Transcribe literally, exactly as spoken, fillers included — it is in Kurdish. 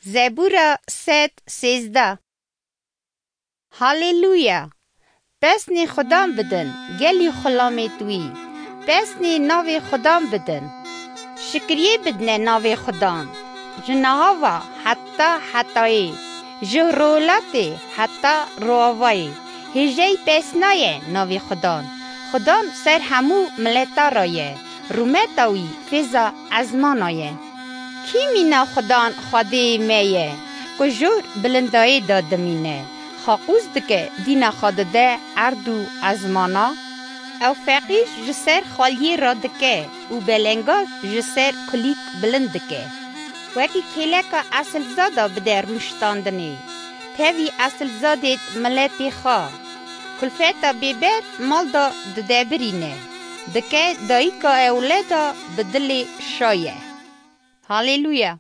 Zebûra sed sêzdeh. Haleluya! Pesnê Xudan bidin, gelî xulamêt wî. Pesnê navê Xudan bidin. Şikriyê bidine navê Xudan. Ji nahava heta hetayê, ji rolatê heta roavayê. Hêjeyî pesnaye navê Xudan. Xudan ser hemû mileta ra ye. Rûmeta wî fêza ezmana ye. Kî mîna Xudan Xwedê me ye, ku jor bilindayê de dimîne, xaqûz dike, dîna xwe dide erd û ezmana? Ew feqîr ji ser xaliyê re dike û belengaz ji ser kulîk bilind dike. Wekî kêleka esilzada bide rûştandinê, tevî esilzadêt miletê xwe. Kulfeta bêber mal de didebirîne, dike dayika ewleda bi dilê şaye. Haleluya!